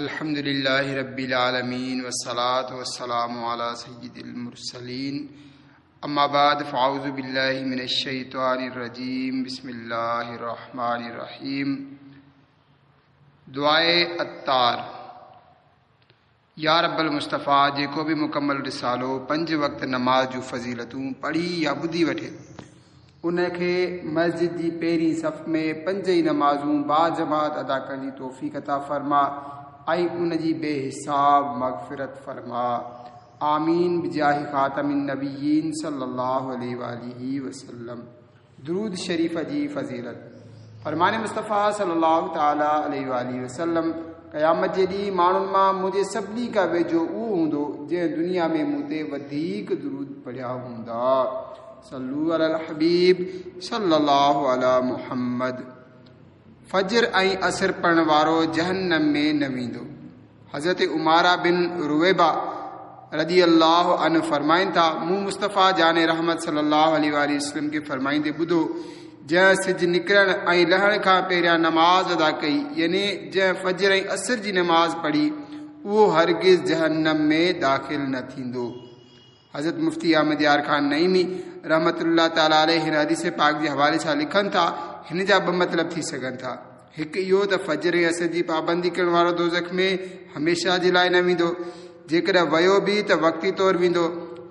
الحمد لله رب العالمين والصلاة والسلام على سيد المرسلين اما بعد فاعوذ بالله من الشيطان الرجيم بسم الله الرحمن الرحيم دعاء عطار يا رب المصطفيٰ جيڪو به مڪمل رسالو پنج وقت نماز جون فضيلتون پڙهي يا ٻڌي وٺي ان کي مسجد جي پهرين صف ۾ پنج ئي نمازون باجماعت ادا ڪرڻ جي توفيق عطا فرما ۽ ان جي بي حساب مغفرت فرما آمين بجاه خاتم النبيين صلي الله عليه واله وسلم درود شريف جي فضيلت فرمان مصطفيٰ صلي الله تعالٰي عليه واٰله وسلم قيامت جي ڏينهن ماڻهن مان منهنجي سڀني کان ويجهو اهو هوندو جنهن دنيا ۾ مون تي وڌيڪ درود پڙهيا هوندا صلو علي الحبيب صلي الله علي محمد فجر ۽ عصر پڙهڻ وارو جهنم ۾ نه ويندو. حضرت عماره بن رويبه رضي الله عنه فرمائن ٿا، مون مصطفيٰ جان رحمت صلي الله عليه واٰله وسلم کي فرمائيندي ٻڌو، جنهن سج نڪرڻ ۽ لهڻ کان پهريان نماز ادا ڪئي، يعني جنهن فجر ۽ عصر جي نماز پڙهي، اهو هرگز جهنم ۾ داخل نه ٿيندو. حضرت مفتي احمد يار خان نعيمي رحمة الله تعالٰي عليه هن حديث پاڪ جي حوالي سان لکن ٿا، هن جا ٻه مطلب ٿي سگهن ٿا. هڪ اهو ته فجر ۽ عصر جي پابندي ڪرڻ وارو دوزخ ۾ هميشه جي لاء نه ويندو، جيڪڏهن ويو به ته وقتي طور ويندو.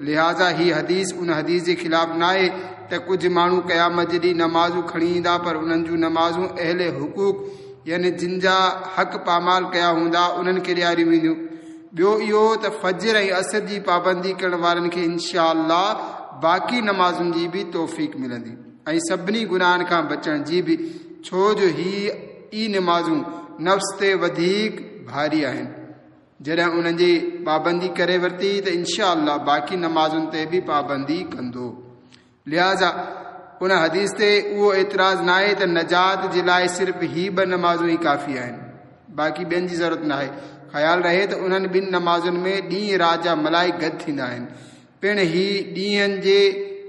لهٰذا هي حديث ان حديث جي خلاف ناهي ته ڪجهه ماڻهو قيامت جي ڏينهن نمازون کڻي ايندا پر انهن جون نمازون اهل حقوق يعني جن جا حق پامال ڪيا هوندا انهن کي ڏياريون وينديون. ٻيو اهو ته فجر ۽ عصر جي پابندي ڪرڻ وارن کي انشاء الله باقي نمازن جي به توفيق ملندي ۽ سڀني گناهن کان بچڻ جي به ڇو جو هي ئي نمازون نفس تي وڌيڪ ڀاري آهن جڏهن انهن جي پابندي ڪري ورتي ته انشاء الله باقي نمازن تي به پابندي ڪندو. لهٰذا ان حديث تي اهو اعتراض ناهي ته نجات جي لاء صرف هي ٻه نمازون ئي ڪافي آهن، باقي ٻين جي ضرورت ناهي. خيال رهي ته انهن ٻن نمازن ۾ ڏينهن رات جا ملائڪ گڏ ٿيندا آهن. پڻ هي ڏينهن جي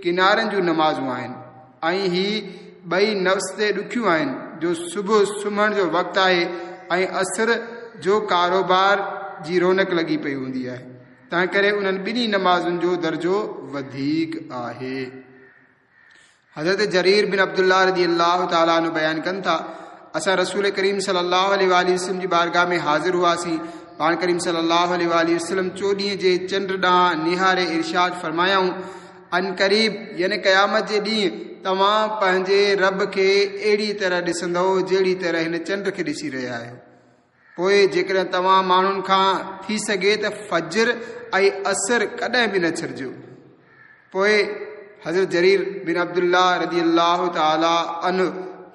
ڪنارن جون نمازون آهن ۽ هي ٻئي نفس تي ڏکيون آهن جو صبح سمهڻ جو وقت آهي ۽ عصر جو ڪاروبار جي رونق لڳي پئي هوندي آهي. تنهنڪري انهن ٻنهي نمازن جو درجو وڌيڪ آهي. حضرت جرير بن عبدالله رضي الله تعالٰي عنه بيان ڪن ٿا، اسان رسول ڪريم صلي الله عليه واٰله وسلم جي بارگاھ ۾ حاضر هئاسين، پاڻ ڪريم صلي الله عليه واٰله وسلم چوڏهينء جي چنڊ ڏانهن نهاري ارشاد فرمايائون، عنقريب يعني قيامت جي ڏينهن توهان پنهنجي رب کي اهڙي طرح ڏسندؤ جهڙي طرح هن چنڊ کي ڏسي رهيا آهيو. پوء جيڪڏهن توهان ماڻهن کان ٿي سگهي ته فجر ۽ عصر ڪڏهن به نه ڇڏجو. پوء حضرت جرير بن عبدالله رضي الله تعالٰي عنه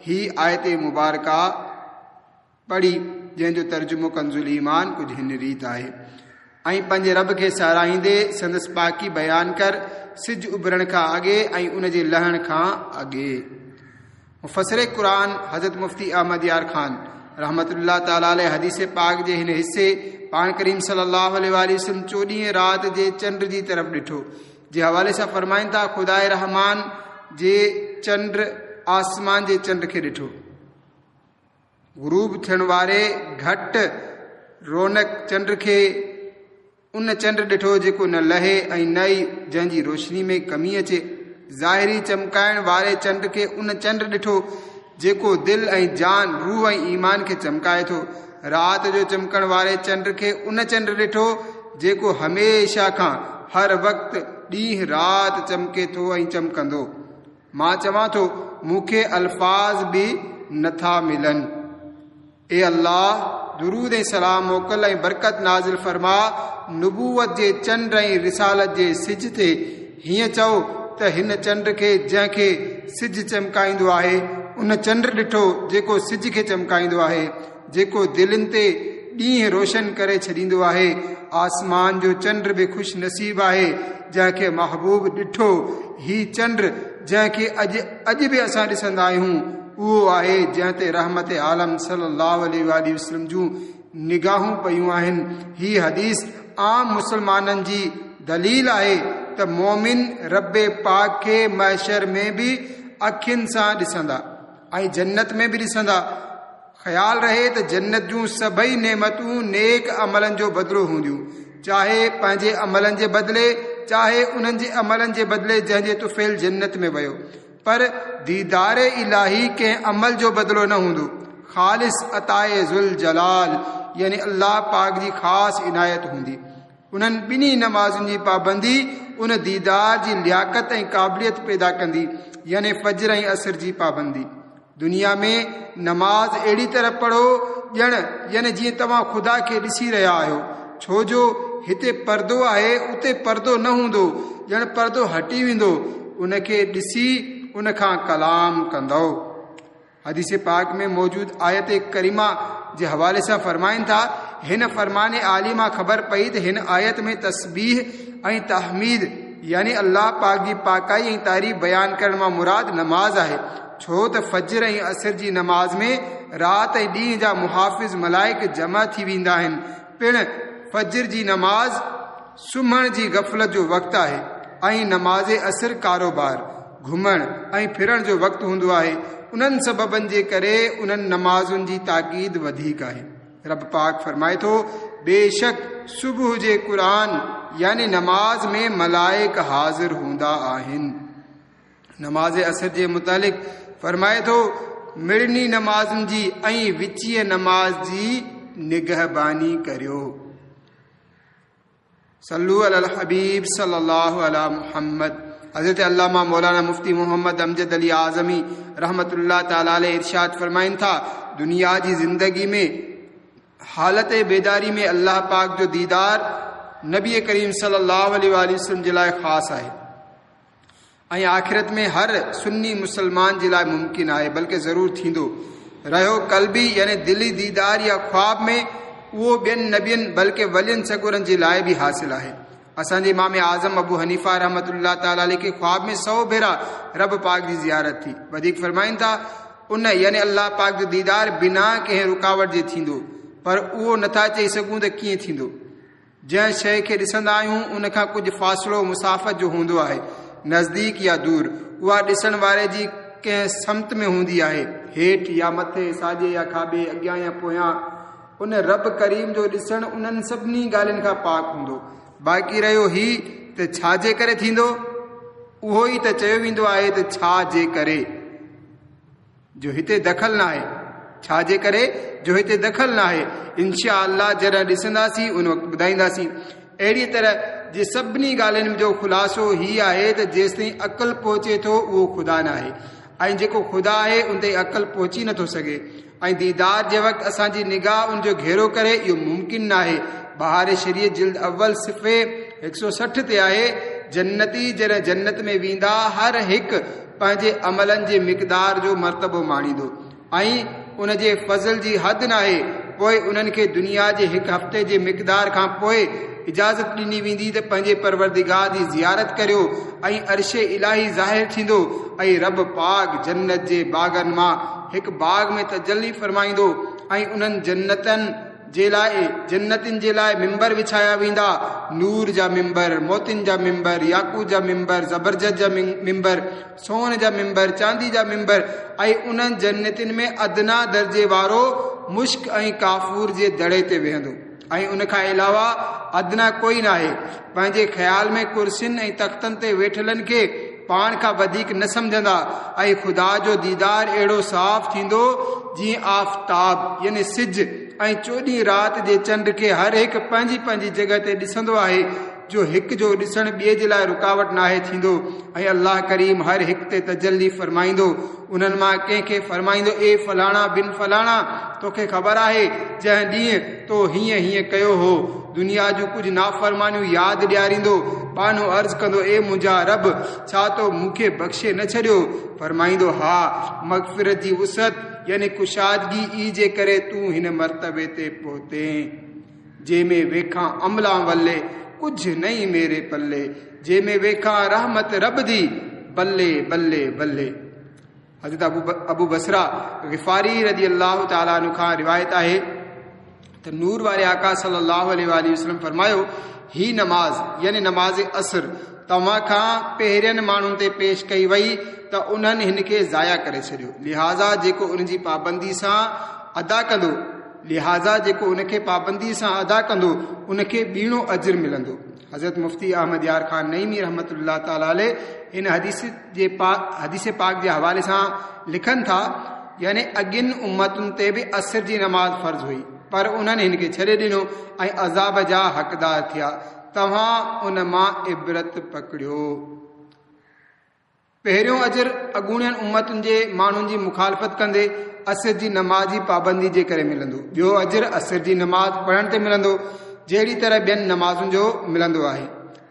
هي آيت مبارڪه پڙهي جنهن جو ترجمو ڪنزالايمان ڪجهه هن ريت آهي. ۽ پنهنجي رب کي ساراهيندي سندس پاڪي بيان ڪر سج اڀرڻ کان اڳي ۽ ان جي لهڻ کان اڳي. مفسر قرآن حضرت مفتي احمد يار خان رحمة الله تعالٰي عليه حديث پاڪ جي هن حصي پاڻ ڪريم صلي الله عليه واٰله وسلم چوڏهين رات جي چنڊ جي طرف ڏٺو جي حوالي سان فرمائن ٿا خداء رحمان جي چنڊ آسمان جي چنڊ کي ڏٺو. غروب ٿيڻ واري گهٽ رونق چنڊ کي ان چنڊ ڏٺو جيڪو نه لهي ۽ نه ئي جنهن جي روشني ۾ ڪمي اچي. ظاهري چمڪائڻ واري چنڊ کي ان چنڊ ڏٺو جيڪو دل ۽ جان، روح ۽ ايمان کي چمڪائي ٿو. رات جو چمڪڻ واري چنڊ کي ان چنڊ ڏٺو جيڪو هميشه کان هر وقت ڏينهن رات چمڪي ٿو ۽ چمڪندو. مان چوان ٿو، مون کي الفاظ به نه ٿا ملن. اي الله! درود ۽ سلام موڪل ۽ برڪت نازل فرماء نبوت جي چنڊ ۽ رسالت جي سج تي، هيئن چئو ته هن چنڊ کي جنهن کي سج چمڪائيندو آهي، ان چنڊ ڏٺو جيڪو سج کي چمڪائيندو آهي، جيڪو دلين تي ڏينهن روشن ڪري ڇڏيندو آهي، آسمان جو چنڊ به خوش نصيب آهي جنهن کي محبوب ڏٺو، هي چنڊ جنهن کي اڄ اڄ به اسان ڏسندا آهيون اهو آهي جنهن تي رحمت عالم صلي الله عليه واٰله وسلم جون نگاهون پيون آهن، هي حديث عام مسلمانن جي دليل آهي ته مؤمن رب پاڪ کي محشر ۾ به اکين سان ڏسندا ۽ جنت ۾ به ڏسندا. خيال رهي ته جنت جون سڀئي نعمتون نيڪ عملن جو بدلو هونديون، چاهي پنهنجي عملن جي بدلي، چاهي انهن جي عملن جي بدلي جنهن جي طفيل جنت ۾ ويو. پر ديدار الاهي ڪنهن عمل جو بدلو نه هوندو، خالص عطاء ذوالجلال يعني الله پاڪ جي خاص عنايت هوندي. انهن ٻنهي نمازن جي پابندي ان ديدار جي لياقت ۽ قابليت پيدا ڪندي، يعني فجر ۽ عصر جي پابندي. دنيا ۾ نماز اهڙي طرح پڙهو ڄڻ يعني جيئن توهان خدا کي ڏسي رهيا آهيو، ڇو جو هتي پردو آهي اتي پردو نه هوندو، ڄڻ پردو هٽي ويندو، ان کي ڏسي ان کان ڪلام ڪندؤ. حديث پاڪ ۾ موجود آيت ڪريمه جي حوالي سان فرمائن ٿا، هن فرمان عالي مان خبر پئي ته هن آيت ۾ تسبيح ۽ تحميد يعني الله پاڪ جي پاڪائي ۽ تعريف بيان ڪرڻ مان مراد نماز آهي، ڇو ته فجر ۽ عصر جي نماز ۾ رات ۽ ڏينهن جا محافظ ملائڪ جمع ٿي ويندا آهن، پڻ فجر جي نماز سمهڻ جي غفلت جو وقت آهي ۽ نماز عصر ڪاروبار، گهمڻ ۽ ڦرڻ جو وقت هوندو آهي، انهن سببن جي ڪري انهن نمازن جي تاڪيد وڌيڪ آهي. رب پاڪ فرمائي ٿو، بيشڪ صبح جي قرآن يعني نماز ۾ ملائڪ حاضر هوندا آهن. نماز عصر جي متعلق فرمائي ٿو، مڙني نمازن جي ۽ وچينء نماز جي نگهباني ڪريو. صلو علی الحبيب صلي الله علي محمد. حضرت علامه مولانا مفتي محمد امجد علي اعظمي رحمت الله تعالٰي عليه ارشاد فرمائن ٿا، دنيا جي زندگي ۾ حالت بيداري ۾ الله پاڪ جو ديدار نبي ڪريم صلي الله عليه واٰله وسلم جي لاء خاص آهي ۽ آخرت ۾ هر سني مسلمان جي لاء ممڪن آهي بلڪه ضرور ٿيندو. رهيو قلبي يعني دلي ديدار يا خواب ۾ اهو ٻين نبين بلڪه ولين سڳورن جي لاء به حاصل آهي. اسان جي امام اعظم ابو حنيفه رحمة الله تعالٰي عليه کي خواب ۾ سو ڀيرا رب پاڪ جي زيارت ٿي. وڌيڪ فرمائن ٿا، ان يعني الله پاڪ جو ديدار بنا ڪنهن رڪاوٽ جي ٿيندو پر اهو نٿا چئي سگهون ته ڪيئن ٿيندو. جنهن شيء کي ڏسندا آهيون ان کان ڪجهه فاصلو مسافت جو هوندو آهي، نزديڪ يا دور، اها ڏسڻ واري جي ڪنهن سمت ۾ هوندي آهي، هيٺ يا مٿي، ساڄي يا کاٻي، اڳيان يا پويان، ان رب ڪريم جو ڏسڻ انهن سڀني ڳالهين کان پاڪ هوندو. باقي رهيو هي ته ڇا جي ڪري ٿيندو؟ اهو ئي ته چيو ويندو آهي ته ڇا جي ڪري؟ جو هتي دخل ناهي. ڇا جي ڪري جو هتي دخل ناهي. انشاء الله جڏهن ڏسنداسين ان وقت ٻڌائينداسين. اهڙيء طرح جي سڀني ڳالهين جو خلاصو هي آهي ته جيستائين عقل پهچي ٿو اهو خدا ناهي ۽ جيڪو خدا آهي ان تائين عقل پهچي نٿو سگهي ۽ ديدار جي وقت اسان جي نگاهه ان جو گهيرو ڪري اهو ممڪن ناهي. بهار شريعت جلد اول صفحي 160 تي آهي جنتي جڏهن جنت ۾ ويندا هر هڪ پنهنجي عملن جي مقدار جو مرتبو ماڻيندو ۽ ان جي فضل جي حد ناهي، پوء انهن کي دنيا جي هڪ هفتي جي مقدار کان پوء اجازت ڏني ويندي ته پنهنجي پروردگار جي زيارت ڪريو ۽ عرش الاهي ظاهر ٿيندو ۽ رب پاڪ جنت جي باغن مان هڪ باغ ۾ تجلي فرمائيندو ۽ انهن جنتن جي لاء جنتين جي لاء منبر وڇايا ويندا، نور جا منبر، موتين جا منبر، ياقوت جا منبر، زبرجد جا منبر، سون جا منبر، چاندي جا منبر ۽ انهن جنتين ۾ ادنيٰ درجي وارو مشڪ ۽ ڪافور جي دڙي تي ويهندو ۽ ان کان علاوه ادنيٰ ڪوئي ناهي. پنهنجي خيال ۾ ڪرسين ۽ تختن تي ويٺلن کي پاڻ کان وڌيڪ نه سمجهندا ۽ خدا جو ديدار اهڙو صاف ٿيندو جيئن آفتاب يعني سج ۽ چوڏهين رات جي چنڊ کي هر هڪ پنهنجي پنهنجي جڳهه تي ڏسندو آهي جو هڪ جو ڏسڻ ٻئي جي لاء رڪاوٽ ناهي ٿيندو ۽ الله ڪريم هر هڪ تي تجلي فرمائيندو انهن مان ڪنهن کي فرمائيندو اي فلاڻا بن فلاڻا توکي خبر آهي جنهن ڏينهن تو هيئن هيئن ڪيو هو دنيا جون ڪجهه نافرمانيون ياد ڏياريندو ٻانهو عرض ڪندو اي منهنجا رب ڇا تو مون کي بخشي نه ڇڏيو فرمائيندو ها مغفرت جي وسعت يعني ڪشادگي ئي جي ڪري تون هن مرتبي تي پهتين جي ۾ ويکان عملان ولي ڪجهه نئين ميري پلي جي ۾ ويکان رحمت رب the بلي بلي بلي. حضرت ابو بصره غفاري رضي الله تعالٰي عنه کان روايت آهي ته نور واري آقا صلي الله عليه واٰله وسلم فرمايو هي نماز يعني نماز عصر توهان کان پهرين ماڻهن تي پيش ڪئي وئي ته انهن هن کي ضايع ڪري ڇڏيو لهٰذا جيڪو ان جي پابندي سان ادا ڪندو، لهٰذا جيڪو ان کي پابنديء سان ادا ڪندو، ان کي ٻيڻو اجر ملندو. حضرت مفتي احمد يار خان نعيمي رحمة الله تعالٰي عليه هن حديث جي حديث پاڪ جي حوالي سان لکن ٿا، يعني اڳين امتن تي به عصر جي نماز فرض هئي، پر انهن هن کي ڇڏي ڏنو ۽ عذاب جا حقدار ٿيا، توهان ان مان عبرت پڪڙيو. پهريون اجر اڳوڻين امتن جي ماڻهن جي مخالفت ڪندي عصر جي نماز جي پابندي جي ڪري ملندو. ٻيو اجر عصر جي نماز پڙهڻ تي ملندو، جهڙي طرح ٻين نمازن جو ملندو آهي.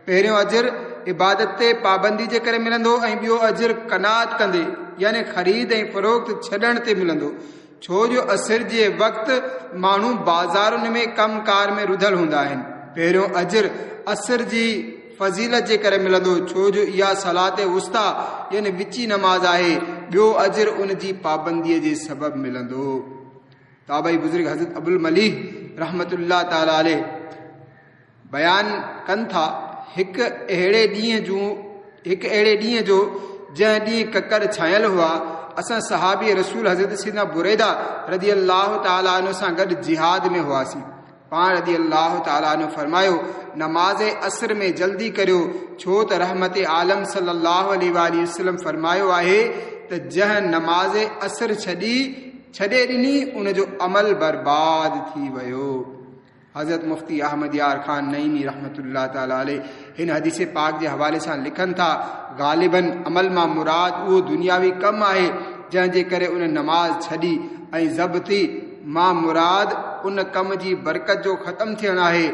پهريون اجر عبادت تي پابندي جي ڪري ملندو ۽ ٻيو اجر قناعت ڪندي يعني خريد ۽ فروخت ڇڏڻ تي ملندو، ڇو جو عصر جي وقت ماڻهو بازارن ۾ ڪم ڪار ۾ رڌل هوندا آهن. پهريون اجر عصر جي فضيلت جي ڪري ملندو، ڇو جو اها صلات وسطيٰ يعني وچي نماز آهي. ٻيو اجر ان جي پابنديء جي سبب ملندو. تابعي بزرگ حضرت ابوالمليح رحمة الله تعالٰي عليه بيان ڪن ٿا، هڪ اهڙي ڏينهن جون هڪ اهڙي ڏينهن جو جنهن ڏينهن ڪڪر ڇانيل هئا، اسان صحابي رسول حضرت سيدنا بريده رضي الله تعالٰي عنه سان گڏ جهاد ۾ هئاسين. پاڻ رضي الله تعالٰي عنه فرمايو، نماز عصر ۾ جلدي ڪريو، ڇو ته رحمت عالم صلّي الله عليه واٰله وسلّم فرمايو آهي ته جنهن نماز عصر ڇڏي ڇڏي ڏني ان جو عمل برباد ٿي ويو. حضرت مفتي احمد يار خان نعيمي رحمة الله تعالٰي عليه هن حديث پاڪ جي حوالي سان لکن ٿا، غالباً عمل مان مراد اهو دنياوي ڪم آهي جنهن جي ڪري ان نماز ڇڏي ۽ ضبطي مان مراد ان ڪم جي برڪت جو ختم ٿيڻ آهي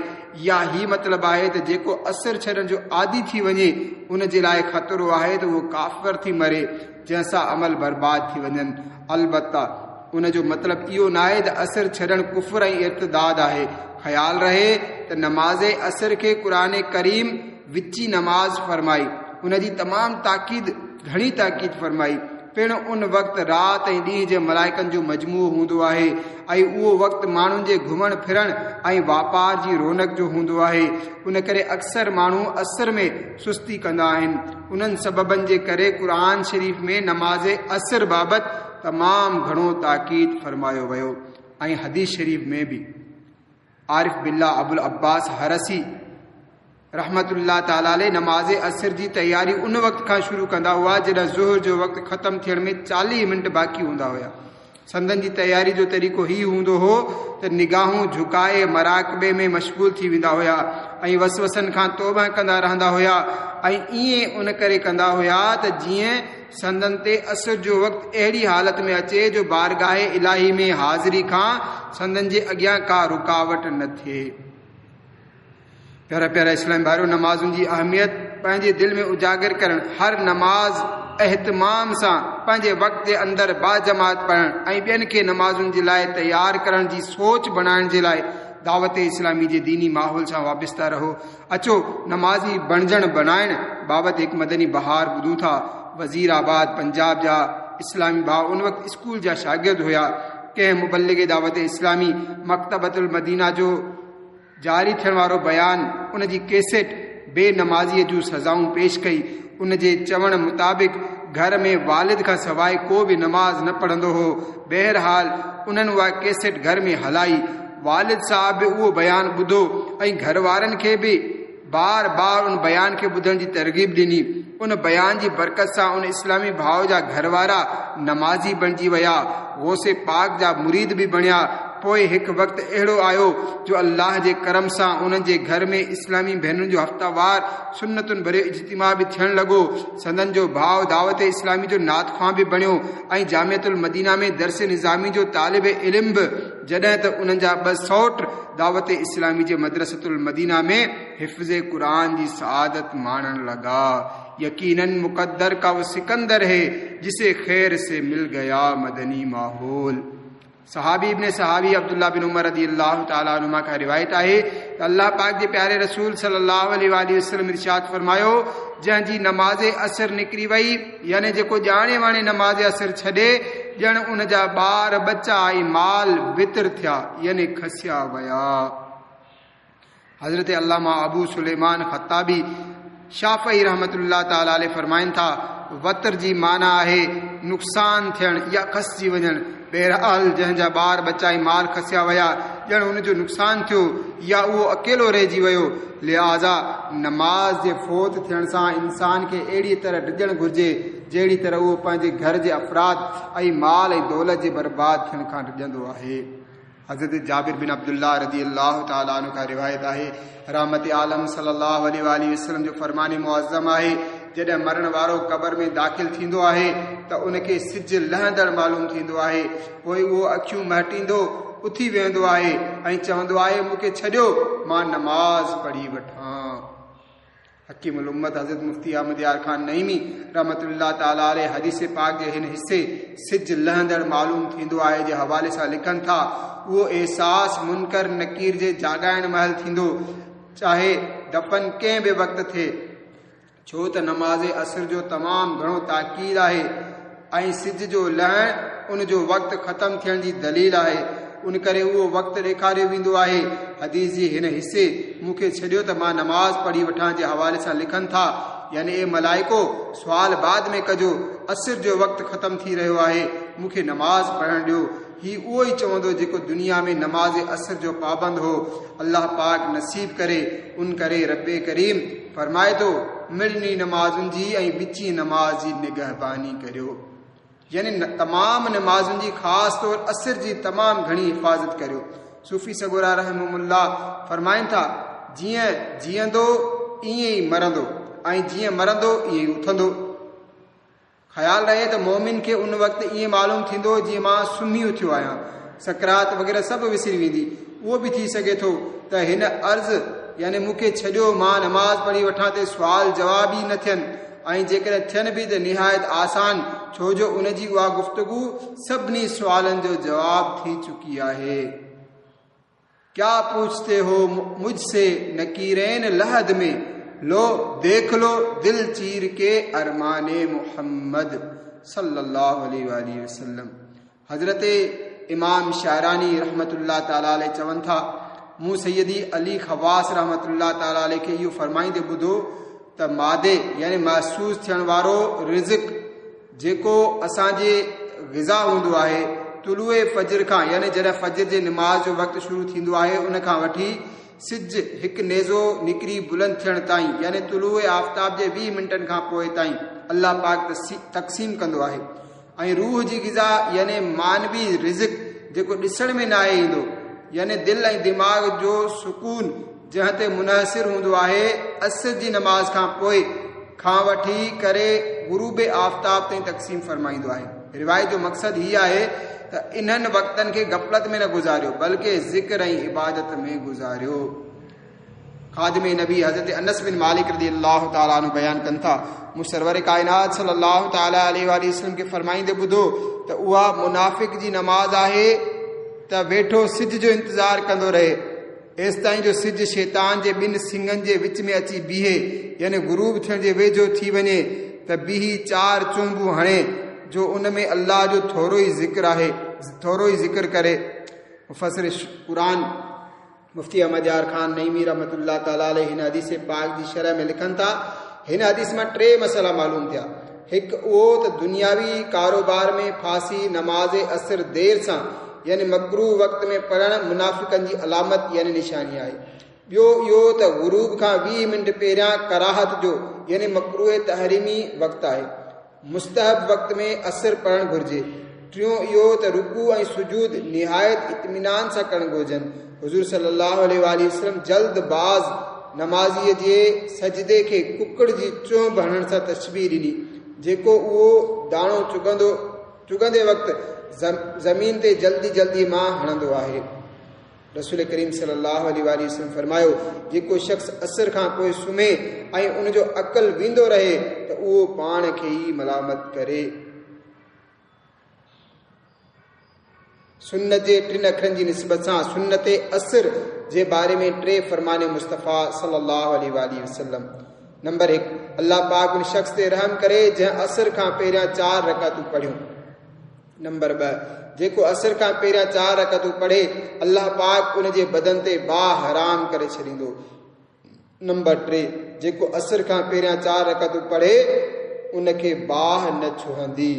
يا هي مطلب آهي ته جيڪو عصر ڇڏڻ جو عادي ٿي وڃي ان جي لاء خطرو آهي ته اهو ڪافر ٿي مري جنهن سان عمل برباد ٿي وڃن البته ان جو مطلب اهو ناهي ته عصر ڇڏڻ ڪفر ۽ ارتداد آهي. خيال رهي ته نماز عصر کي قرآن ڪريم وچي نماز فرمائي، ان جي تمام تاڪيد گهڻي تاڪيد فرمائي. پڻ ان وقت رات ۽ ڏينهن جي ملائڪن جو مجموعو هوندو آهي ۽ اهو وقت ماڻهن جي گهمڻ ڦرڻ ۽ واپار جي رونق جو هوندو آهي. ان ڪري اڪثر ماڻهو عصر ۾ سستي ڪندا آهن. انهن سببن جي ڪري قرآن شريف ۾ نماز عصر بابت تمام گهڻو تاڪيد فرمايو ويو ۽ حديث شريف ۾ به عارف بالله ابوالعباس حرسي رحمة الله تعالٰي عليه نماز عصر جي تياري ان وقت کان شروع ڪندا هئا جڏهن ظهر جو وقت ختم ٿيڻ ۾ 40 منٽ باقي هوندا هيا. سندن جي تياري جو طريقو هي هوندو هو ته نگاهون جهڪائي مراقبي ۾ مشغول ٿي ويندا هيا ۽ وسوسن کان توبه ڪندا رهندا هيا ۽ ائين ان ڪري ڪندا هيا ته جيئن سندن تي عصر جو وقت اهڙي حالت ۾ اچي جو بارگاهه الاهي ۾ حاضري کان سندن جي اڳيان ڪا رڪاوٽ نه ٿئي. پيارا پيارا اسلامي ڀائرو! نمازن جي اهميت پنهنجي دل ۾ اجاگر ڪرڻ، هر نماز اهتمام سان پنهنجي وقت جي اندر باجماعت پڙهڻ ۽ ٻين کي نمازن جي لاء تيار ڪرڻ جي سوچ بڻائڻ جي لاء دعوت اسلامي جي ديني ماحول سان وابسته رهو. اچو نمازي بڻجڻ بڻائڻ بابت هڪ مدني بهار ٻڌون ٿا. وزير آباد پنجاب جا اسلامي ڀاء ان وقت اسڪول جا شاگرد هيا. ڪنهن مبلغ دعوت اسلامي مڪتبة المدينه جو جاري ٿيڻ وارو بيان ان جي ڪيسيٽ بي نمازيء جون سزائون پيش ڪئي. ان جي چوڻ مطابق گهر ۾ والد کان سواء ڪو به نماز نه پڙهندو هو. بهرحال انهن اها ڪيسيٽ گهر ۾ هلائي. والد صاحب به اهو بيان ٻڌو ۽ گهر وارن کي به بار بار ان بيان کي ٻڌڻ جي ترغيب ڏني. ان بيان جي برڪت سان ان اسلامي ڀاء جا گهر وارا نمازي بڻجي ويا، غوث پاڪ جا مريد به بڻيا. پوء هڪ وقت اهڙو آيو جو الله جي ڪرم سان انهن جي گهر ۾ اسلامي ڀينرن جو هفته وار سنتن ڀريو اجتماع به ٿيڻ لڳو. سندن جو ڀاء دعوت اسلامي جو نعت خوان به بڻيو ۽ جامعة المدينه ۾ درس نظامي جو طالب علم به. جڏهن ته انهن جا ٻه سئوٽ دعوت اسلامي جي مدرسة المدينه ۾ حفظ قرآن جي سعادت ماڻڻ لڳا. يقيناً مقدر کا وہ سڪندر هي جسي خير سي مل گيا مدني ماحول. صحابي ابن صحابي عبدالله بن عمر رضي الله تعالٰي عنهما کان روايت آهي ته الله پاڪ جي پياري رسول صلي الله عليه واٰله وسلم ارشاد فرمايو، جنهن جي نماز عصر نڪري وئي يعني جيڪو ڄاڻي واڻي نماز عصر ڇڏي ڄڻ ان جا ٻار ٻچا ۽ مال وتر ٿيا يعني کسيا ويا. حضرت علامه ابو سليمان خطابي شافعي رحمة الله تعالٰي عليه فرمائن ٿا، وتر جي معنيٰ آهي نقصان ٿيڻ يا کسجي وڃڻ. بهرحال جنهن جا ٻار ٻچا ۽ مال کسيا ويا، ڄڻ ان جو نقصان ٿيو يا اهو اڪيلو رهجي ويو. لهٰذا نماز جي فوت ٿيڻ سان انسان کي اهڙيء طرح ڊڄڻ گهرجي، جهڙي طرح اهو پنهنجي گهر جي افراد ۽ مال ۽ دولت جي برباد ٿيڻ کان ڊڄندو آهي. حضرت جابر بن عبدالله رضي الله تعالٰي عنه کان روايت آهي، رحمت عالم صلّي الله عليه واٰله وسلّم جو فرمان معظّم آهي، جڏهن مرڻ وارو قبر ۾ داخل ٿيندو آهي ته ان کي سج لهندڙ معلوم ٿيندو آهي، پوء اهو اکيون مهٽيندو اٿي ويهندو آهي ۽ چوندو آهي، مون کي ڇڏيو، مان نماز پڙهي وٺان. حڪيم الامت حضرت مفتي احمد يار خان نعيمي رحمة الله تعالٰي عليه حديث پاڪ جي هن حصي سج لهندڙ معلوم ٿيندو آهي جي حوالي سان لکن ٿا، اهو احساس منڪر نڪير جي جاڳائڻ مهل ٿيندو، چاهي دفن ڪنهن به وقت ٿئي، ڇو ته نماز عصر جو تمام گهڻو تاڪيد آهي ۽ سج جو لهڻ ان جو وقت ختم ٿيڻ جي دليل آهي، ان ڪري اهو وقت ڏيکاريو ويندو آهي. حديث جي هن حصي، مون کي ڇڏيو ته مان نماز پڙهي وٺان جي حوالي سان لکن ٿا، يعني اي ملائڪو! سوال بعد ۾ ڪجو، عصر جو وقت ختم ٿي رهيو آهي، مون کي نماز پڙهڻ ڏيو. هي اهو ئي چوندو جيڪو دنيا ۾ نماز عصر جو پابند هو. الله پاڪ نصيب ڪري، ان ڪري رب ڪريم فرمائي ٿو، مڙني نمازن جي ۽ وچين نماز جي نگهباني ڪريو. يعني تمام نمازن جي خاص طور عصر جي تمام گهڻي حفاظت ڪريو. صوفي سڳورا رحمهم الله فرمائن ٿا، جيئن جيئندو ائين ئي مرندو ۽ جيئن مرندو ائين ئي اٿندو. خيال رهي ته مؤمن کي ان وقت ائين معلوم ٿيندو جيئن مان سمهي اٿيو آهيان. سڪرات وغيره سڀ وسري ويندي. اهو به ٿي سگهي ٿو ته هن عرض يعني مون کي ڇڏيو مان نماز پڙهي وٺان تي سوال جواب ئي نه ٿين ۽ جيڪڏهن ٿين به ته نهايت آسان ڇو جو ان جي اها گفتگو سڀني سوالن جو جواب ٿي چڪي آهي. ڪيا پوڇتي هو مجھ سي نڪيرين لحد ۾ لو ديک لو دل چير ڪي ارمان محمد صلي الله عليه واٰله وسلم حضرت امام شعراني رحمة الله تعالٰي عليه چون ٿا، مون سيدي علي خواص رحمة الله تعالٰي عليه کي اهو فرمائيندي ٻڌو ته مادي يعني محسوس ٿيڻ وارو رزق جيڪو اسان جي غذا هوندو آهي طلوع فجر کان يعني جڏهن فجر جي نماز جو وقت شروع ٿيندو آهي ان کان وٺي سج هڪ نيزو نڪري بلند ٿيڻ تائين يعني طلوع آفتاب جي 20 منٽن کان پوء تائين الله پاڪ تقسيم ڪندو آهي ۽ روح جي غذا يعني معنوي رزق جيڪو ڏسڻ ۾ ناهي ايندو يعني دل ۽ دماغ جو سڪون جنهن تي منحصر هوندو آهي عصر جي نماز کان پوء کان وٺي ڪري غروب آفتاب تائين تقسيم فرمائيندو آهي. روايت جو مقصد هي آهي ته انهن وقتن کي غفلت ۾ نه گذاريو بلڪه ذڪر ۽ عبادت ۾ گذاريو. خادم نبي حضرت انس بن مالڪ رضي الله تعالٰي عنه بيان ڪن ٿا، مون سرور ڪائنات صلي الله تعالٰي عليه واٰله وسلم کي فرمائيندي ٻڌو ته اها منافق جي نماز آهي ته ويٺو سج جو انتظار ڪندو رهي ايستائين جو سج شيطان جي ٻن سنگن جي وچ ۾ اچي بيهي يعني غروب ٿيڻ جي ويجهو ٿي وڃي ته بيهي چار چونبون هڻي جو ان ۾ الله جو ٿورو ئي ذڪر آهي ٿورو ئي ذڪر ڪري. مفسر قرآن. مفتي احمد يار خان نعيمي رحمة الله تعالٰي عليه هن حديث پاڪ جي شرح ۾ لکن ٿا، هن حديث مان ٽي مسئلا معلوم ٿيا، هڪ اهو ته دنياوي ڪاروبار ۾ ڦاسي نماز عصر دير سان يعني مڪروه وقت ۾ پڙهڻ منافقن جي علامت يعني نشاني آهي. ٻيو اهو ته غروب کان 20 منٽ پهريان ڪراهت جو يعني مڪروه تحريمي وقت آهي. مستحب وقت ۾ عصر پڙهڻ گهرجي. ٽيون اهو ته رڪوع ۽ سجود نهايت اطمينان سان ڪرڻ گهرجن. حضور صلي الله عليه واٰله وسلم جلد باز نمازيء جي سجدي کي ڪڪڙ جي چهنب هڻڻ سان تشبيهه ڏني، جيڪو اهو داڻو چڳندو چڳندي وقت زمين تي جلدي جلدي مان هڻندو آهي. رسول ڪريم صلي الله عليه واٰله وسلم فرمايو، جيڪو شخص عصر کان پوء سمهي ۽ ان جو عقل ويندو رهي ته اهو پاڻ کي ئي ملامت ڪري. سنت جي ٽن اکرن جي نسبت سان سنت عصر جي باري ۾ ٽي فرمان مصطفيٰ صلي الله عليه واٰله وسلم. نمبر هڪ، الله پاڪ ان شخص تي رحم ڪري جنهن عصر کان پهريان چار رڪعتون پڙهيون. نمبر ٻه، جيڪو عصر کان پهريان چار رڪعتون پڙهي، الله پاڪ ان جي بدن تي باهه حرام ڪري ڇڏيندو. نمبر ٽي، جيڪو عصر کان پهريان چار رڪعتون پڙهي، ان کي باهه نه ڇهندي.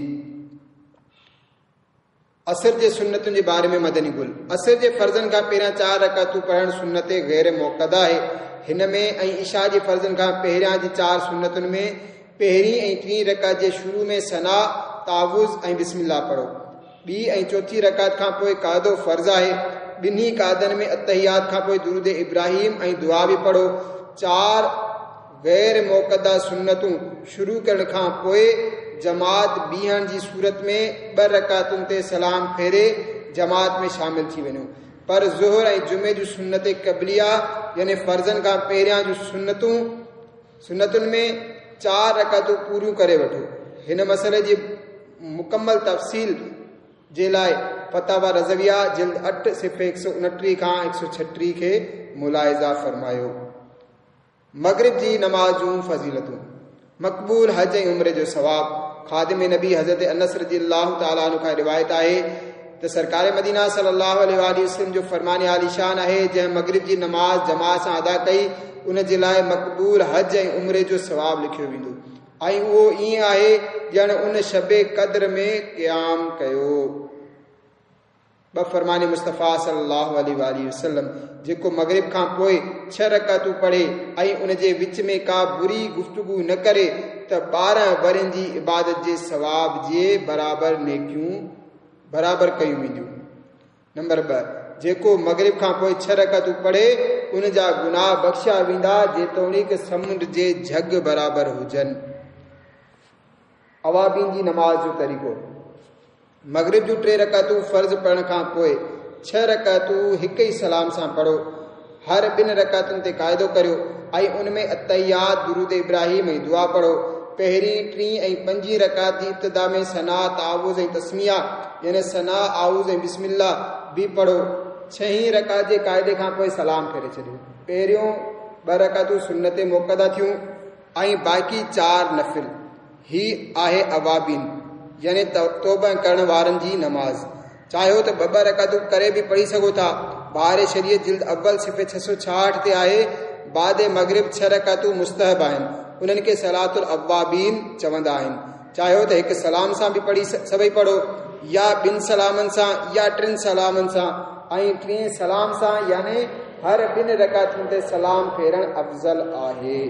عصر جي سنتن جي باري ۾ مدني گل، عصر جي فرضن کان پهريان چار رڪعتون پڙهڻ سنت غير مؤڪده آهي. هن ۾ ۽ عشاء جي فرضن کان پهريان جي چار سنتن ۾ پهرين ۽ ٽين رڪعت جي شروع ۾ ثنا، تعوذ ۽ بسم الله پڙهو. ٻي ۽ چوٿين رڪعت کان پوء قعدو فرض آهي. ٻنهي قعدن ۾ التحيات کان پوء درود ابراهيم ۽ دعا به پڙهو. چار غير مؤڪده سنتون شروع ڪرڻ کان پوء جماعت بيهڻ جي صورت ۾ ٻه رڪعتن تي سلام ڦيري جماعت ۾ شامل ٿي وڃو. پر ظهر ۽ جمعي جون سنت قبليه يعني فرضن کان پهريان جون سنتون سنتن ۾ چار رڪعتون پوريون ڪري وٺو. هن مسئلي جي مڪمل تفصيل جي لاء فتاويٰ رضويه جلد اٺ صفحي 129 کان 136 کي ملاحظه فرمايو. مغرب جي نماز جون فضيلتون، مقبول حج ۽ عمري جو ثواب، خادم نبي حضرت انس رضي الله تعالٰي عنه کان روايت آهي ته سرڪار مدينه صلي الله عليه واٰله وسلم جو فرمان عاليشان آهي جنهن مغرب جي نماز جماعت سان ادا ڪئي ان جي لاء مقبول حج ۽ عمري جو ثواب لکيو ويندو ۽ اهو ائين آهي ڄڻ ان شب قدر ۾ قيام ڪيو. ٻه فرمان مصطفيٰ صلي الله عليه واٰله وسلم، جيڪو مغرب کان پوء ڇهه رڪعتون پڙهي ۽ ان جي وچ ۾ ڪا بري گفتگو نه ڪري ته 12 ورهين جي عبادت جي ثواب جي برابر نيڪيون برابر ڪيون وينديون. نمبر 2، جيڪو مغرب کان پوء ڇهه رڪعتون پڙهي ان جا گناهه بخشيا ويندا جيتوڻيڪ سمنڊ جي جهڳ برابر هجن. اوابين جي نماز جو طريقو، مغرب جون ٽي رڪعتون فرض پڙهڻ کان پوء ڇهه رڪعتون هڪ ئي سلام سان پڙهو. هر ٻن رڪعتن تي قاعدو ڪريو ۽ ان ۾ التحيات، درود ابراهيم ۽ دعا پڙهو. پهرين، ٽين ۽ پنجين رڪعت جي ابتدا ۾ ثنا، تعوذ ۽ تسميه يعني ثنا، اعوذ ۽ بسم الله به پڙهو. ڇهين رڪعت جي قاعدي کان پوء سلام ڦيري ڇڏيو. پهريون ٻه رڪعتون سنت مؤڪده ٿيون. ۽ باقي چار نفل. هي آهي اوابين يعني توبه ڪرڻ وارن جي نماز. چاهيو ته ٻه ٻه رڪعتون ڪري به پڙهي سگهو ٿا. بهار شريعت جلد اول صفحي 666 تي آهي، بعد مغرب ڇهه رڪعتون مستحب آهن. انهن کي صلوة الاوابين چوندا آهن. چاهيو ته هڪ سلام سان به پڙهي سڀئي پڙهو يا ٻن سلامن سان يا ٽن سلامن سان ۽ ٽئين سلام سان يعني هر ٻن رڪعتن تي سلام ڦيرڻ افضل آهي.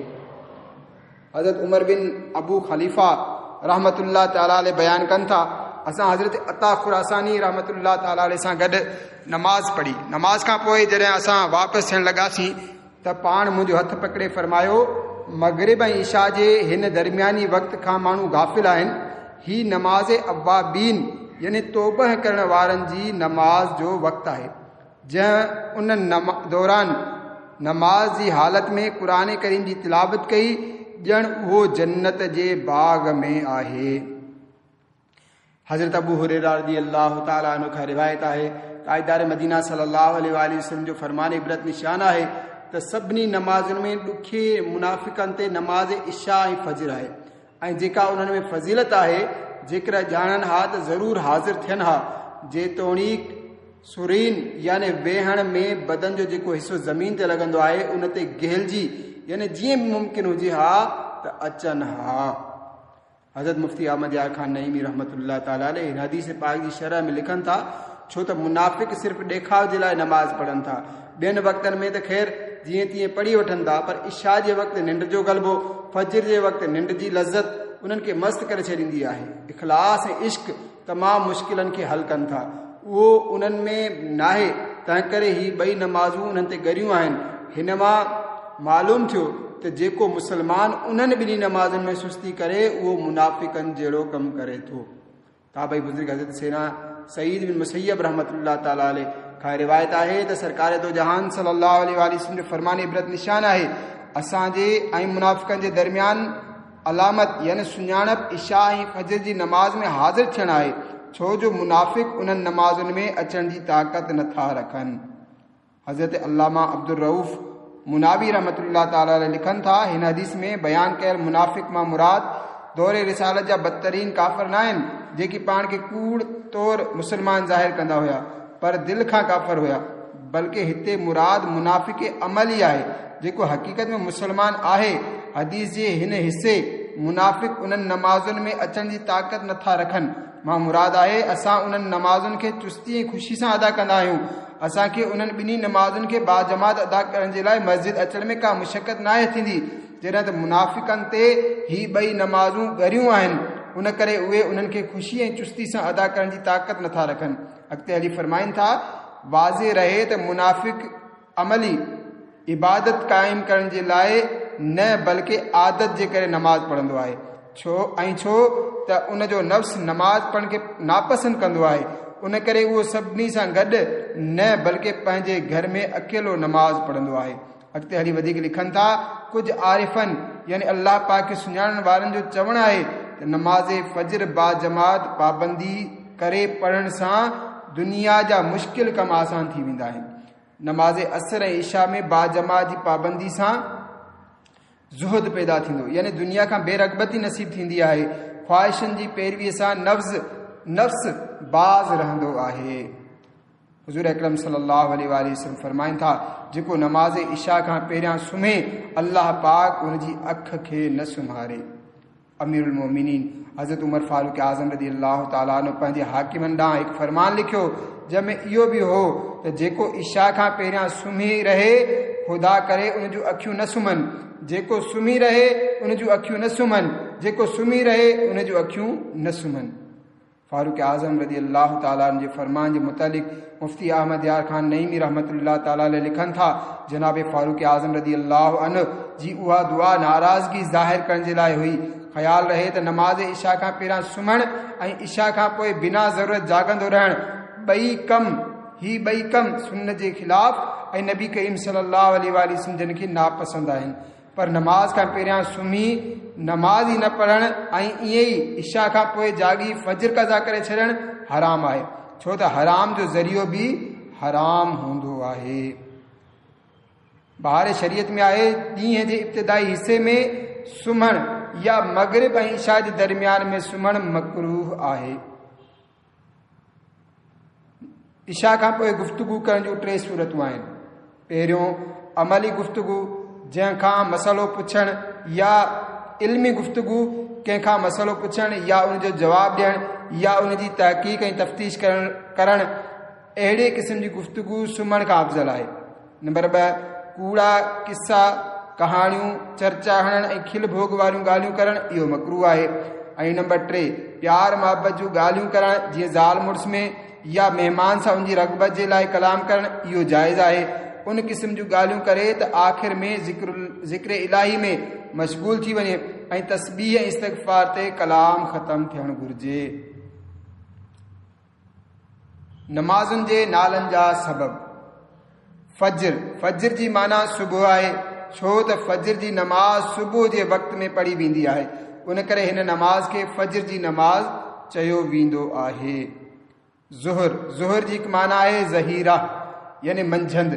حضرت عمر بن ابو خليفه رحمة الله تعالٰي عليه بيان ڪن ٿا، اسان حضرت عطا خراساني رحمة الله تعالٰي عليه سان گڏ نماز پڙهي. نماز کان پوء جڏهن اسان واپس ٿيڻ لڳاسين ته پاڻ منهنجو هٿ پڪڙي فرمايو، مغرب ۽ عشاء جي هن درمياني وقت کان ماڻهو غافل آهن، هي نماز اوابين يعني توبه ڪرڻ وارن جي نماز جو وقت آهي، جنهن ان دوران نماز جي حالت ۾ قرآن ڪريم جي تلاوت ڪئي، ڄڻ اهو جنت جي باغ ۾ آهي. حضرت ابو هريره رضي الله تعالٰي عنه کان روايت آهي، تاجدار مدينه صلي الله عليه واٰله وسلم جو فرمان عبرت نشان آهي ته سڀني نمازن ۾ ڏکي منافقن تي نماز عشاء ۽ فجر آهي ۽ جيڪا انهن ۾ فضيلت آهي جيڪر ڄاڻن ها ته ضرور حاضر ٿين ها، جيتوڻيڪ سرين يعني ويهڻ ۾ بدن جو جيڪو حصو زمين تي لڳندو آهي ان تي گهلجي يعني جيئن به ممڪن هجي ها ته اچن ها. حضرت مفتي احمد يار خان نعيمي رحمة الله تعالٰي عليه هن حديث پاڪ جي شرح ۾ لکن ٿا، ڇو ته منافق صرف ڏيکاء جي لاء نماز پڙهن ٿا، ٻين وقتن ۾ ته خير جيئن تيئن پڙهي وٺن ٿا، پر عشاء جي وقت ننڊ جو غلبو، فجر جي وقت ننڊ جي لذت انهن کي مست ڪري ڇڏيندي آهي. اخلاص ۽ عشق تمام مشڪلن کي حل ڪن ٿا، اهو انهن ۾ ناهي، تنهنڪري هي ٻئي نمازون انهن تي ڳريون آهن. هن مان معلوم ٿيو ته جيڪو مسلمان انهن ٻنهي نمازن ۾ سستي ڪري اهو منافقن جهڙو ڪم ڪري ٿو. تابعي بزرگ حضرت سيدنا سعيد بن مسيب رحمة الله تعالٰي عليه کان روايت آهي ته سرڪار دو جهان صلي الله عليه واٰله وسلم جو فرمان عبرت نشان آهي، اسان جي ۽ منافقن جي درميان علامت يعني سڃاڻپ عشاء ۽ فجر جي نماز ۾ حاضر ٿيڻ آهي، ڇو جو منافق انهن نمازن ۾ اچڻ جي طاقت نٿا رکن. حضرت علامه عبدالرؤف مناوي رحمة الله تعالٰي عليه لکن ٿا، هن حديث ۾ بيان ڪيل منافق مان مراد دور رسالت جا بدترين ڪافر ناهن، جيڪي پاڻ کي ڪوڙ طور مسلمان ظاهر ڪندا هيا، پر دل کان ڪافر هيا، بلڪه هتي مراد منافق عملي آهي، جيڪو حقيقت ۾ مسلمان آهي. حديث جي هن حصي منافق انهن نمازن ۾ اچڻ جي طاقت نٿا رکن. مان مراد آهي اسان انهن نمازن کي چستي ۽ خوشي سان ادا ڪندا آهيون. اسان کي انهن ٻنهي نمازن کي باجماعت ادا ڪرڻ جي لاء مسجد اچڻ ۾ ڪا مشقت ناهي ٿيندي. جڏهن ته منافقن تي هي ٻئي نمازون ڳريون آهن، ان ڪري اهي انهن کي خوشي ۽ چستي سان ادا ڪرڻ جي طاقت نٿا رکن. اڳتي هلي فرمائن ٿا، واضح رهي ته منافق عملي عبادت قائم ڪرڻ جي لاء نه بلڪه عادت جي ڪري نماز پڙهندو آهي، ڇو ۽ ڇو ته ان جو نفس نماز پڙهڻ کي ناپسند ڪندو آهي، ان ڪري اهو سڀني سان گڏ نه بلڪه پنهنجي گهر ۾ اڪيلو نماز پڙهندو آهي. اڳتي هلي وڌيڪ لکن ٿا، ڪجهه عارفن يعني الله پاڪ کي سڃاڻڻ وارن جو چوڻ آهي ته نماز فجر باجماعت پابندي ڪري پڙهڻ سان دنيا جا مشڪل ڪم آسان ٿي ويندا آهن. نماز عصر ۽ عشاء ۾ باجماعت جي پابندي سان زهد پيدا ٿيندو يعني دنيا کان بي رغبتي نصيب ٿيندي آهي. خواهشن جي پيروي سان نفس باز رهندو آهي. حضور اڪرم صلي الله عليه واٰله وسلم فرمائن ٿا، جيڪو نماز عشاء کان پهريان سمهي، الله پاڪ ان جي اک کي نه سمهاري. امير المومنين حضرت عمر فاروق اعظم رضي الله تعالٰي عنه پنهنجي حاڪمن ڏانهن هڪ فرمان لکيو، جنهن ۾ اهو به هو ته جيڪو عشاء کان پهريان سمهي رهي، خدا ڪري ان جون اکيون نه سمهن، جيڪو سمهي رهي ان جون اکيون نه سمهن، جيڪو سمهي رهي ان جون اکيون نه سمهن. فاروق اعظم رضي الله تعالٰي عنه جي فرمان جي متعلق مفتي احمد يار خان نعيمي رحمة الله تعالٰي عليه لکن ٿا، جناب فاروق اعظم رضي الله عنه جي اها دعا ناراضگي ظاهر ڪرڻ جي لاء هئي. خيال رهي ته نماز عشاء کان پهريان سمهڻ ۽ عشاء کان پوء بنا ضرورت جاڳندو رهڻ ٻئي ڪم هي ٻئي ڪم سنت جي خلاف ۽ نبي ڪريم صلي الله عليه واٰله وسلم جن کي ناپسند آهن. پر نماز کان پهريان سمهي نماز ئي نه پڙهڻ ۽ ائين ئي عشاء کان پوء جاڳي فجر قضا ڪري ڇڏڻ حرام آهي، ڇو ته حرام جو ذريعو به حرام هوندو آهي. بهار شريعت ۾ آهي، ڏينهن جي ابتدائي حصي ۾ سمهڻ يا مغرب ۽ عشاء جي درميان ۾ سمهڻ مڪروه آهي. عشاء کان پوء گفتگو ڪرڻ جون ٽي صورتون آهن. پهريون عملي گفتگو، جنهن کان مسئلو پڇڻ يا علمي گفتگو، ڪنهن کان مسئلو پڇڻ يا ان جو جواب ڏيڻ يا ان جي تحقيق ۽ تفتيش ڪرڻ اهڙي قسم جي گفتگو سمهڻ کان افضل آهي. نمبر 2، ڪوڙا قصا، ڪهاڻيون، چرچا هڻڻ ۽ کل ڀوڳ واريون ڳالهيون ڪرڻ اهو مڪروه آهي. ۽ نمبر 3، پيار محبت جون ڳالهيون ڪرڻ جيئن زال مڙس ۾ يا مهمان سان ان جي رغبت جي لاء ڪلام ڪرڻ اهو جائز آهي. ان قسم جون ڳالهيون ڪري ته آخر ۾ ذڪر الاهي ۾ مشغول ٿي وڃي ۽ تسبيح ۽ استغفار تي ڪلام ختم ٿيڻ گهرجي. نمازن جي نالن جا سبب. فجر، فجر جي معنيٰ صبح آهي، ڇو ته فجر جي نماز صبح جي وقت ۾ پڙهي ويندي آهي، ان ڪري هن نماز کي فجر جي نماز چيو ويندو آهي. ظهر، ظهر جي هڪ معنيٰ آهي ظهيره يعني منجهند.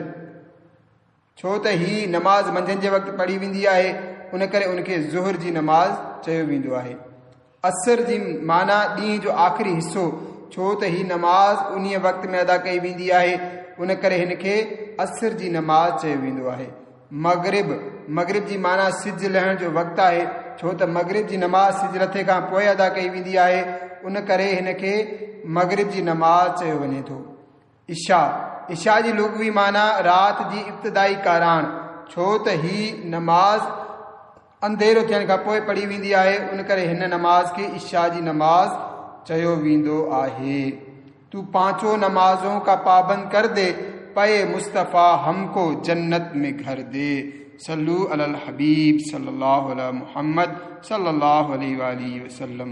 ڇو ته هي نماز منجهند جي وقت پڙهي ويندي آهي، ان ڪري ان کي ظهر جي نماز چيو ويندو آهي. عصر جي معنيٰ ڏينهن جو آخري حصو، ڇو ته هي نماز انهيء وقت ۾ ادا ڪئي ويندي آهي، ان ڪري هن کي عصر جي نماز چيو ويندو آهي. مغرب، مغرب جي معنيٰ سج لهڻ جو وقت آهي، ڇو ته مغرب جي نماز سج لٿي کان پوء ادا ڪئي ويندي آهي، ان ڪري هن کي مغرب جي نماز چيو وڃي ٿو. عشاء، عشاء جي لغوي معنيٰ رات جي ابتدائي ڪاراڻ، ڇو ته هي نماز انڌيرو ٿيڻ کان پوء پڙهي ويندي آهي، ان ڪري هن نماز کي عشاء جي نماز چيو ويندو آهي. تو پانچو نمازون کا پابند ڪر the, پئي مصطفيٰ هم کو جنت ۾ گهر the. صلو علی الحبيب صلي الله علی محمد صلي الله عليه واٰله وسلم.